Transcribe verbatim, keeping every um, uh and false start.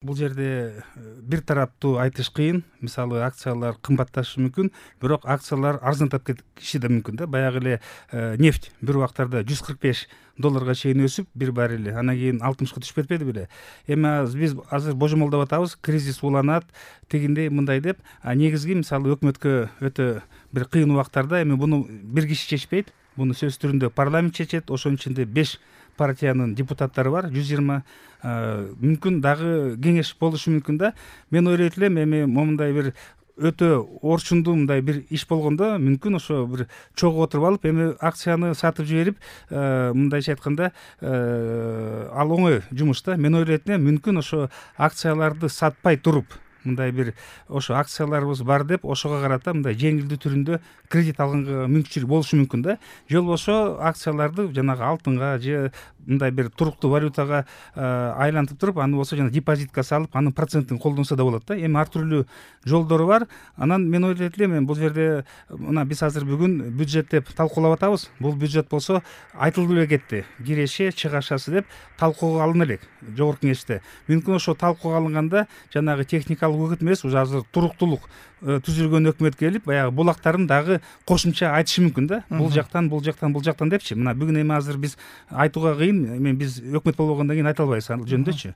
Бул жерде бир тараптуу айтыш кыйын. Мисалы, акциялар кымбатташы мүмкүн, бирок акциялар арзандап кетиши да мүмкүн да. Баягы эле нефть бир убактарда жүз кырк беш долларга чейин өсүп, бир баррели, анан кийин алтымышка түшүп кетпеди беле. Эми биз азыр божомолдоп атабыз, кризис уланат, тигиндей мындай деп. А негизги мисалы өкмөткө өтө бир кыйын убактарда эми буну бир киши чечпейт. Буну сөз түрүндө парламент чечет. Ошонун ичинде беш партиянын депутаттары бар, жүз жыйырма. Мүмкүн дагы кеңеш болушу мүмкүн да. Мен ойлойт элем, эми момундай бир өтө орчундуу мындай бир иш болгондо мүмкүн ошо бир чогуу отуруп алып, эми акцияны сатып жиберип, мындайча айтканда, ал оңой жумуш да. Мен ойлойт элем, мүмкүн ошо акцияларды сатпай туруп, мындай бир ошо акцияларыбыз бар деп, ошого карата мындай жеңилдүү түрүндө кредит алганга мүмкүнчүлүк болушу мүмкүн да. Же болбосо акцияларды жанагы алтынга же мындай бир туруктуу валютага айлантып туруп, аны болсо жана депозитке салып, анын процентин колдонсо да болот да. Эми ар түрдүү жолдору бар. Анан мен ойлойт элем, эми бул жерде мына биз азыр бүгүн бюджет деп талкуулап атабыз. Бул бюджет болсо айтылып эле кетти. Киреши, чыгашасы деп талкууга алына элек жогорку кеңеште. Мүмкүн ошо талкууга алынганда жанагы техникалык өкүт эмес, уже азыр туруктуулук түзүлгөн өкмөт келип, баягы булактарын дагы кошумча айтышы мүмкүн да. Бул жактан, бул жактан, бул жактан депчи. Мына бүгүн эми азыр биз айтууга кыйын, эми биз өкмөт болбогондон кийин айта албайбыз ал жөнүндөчү.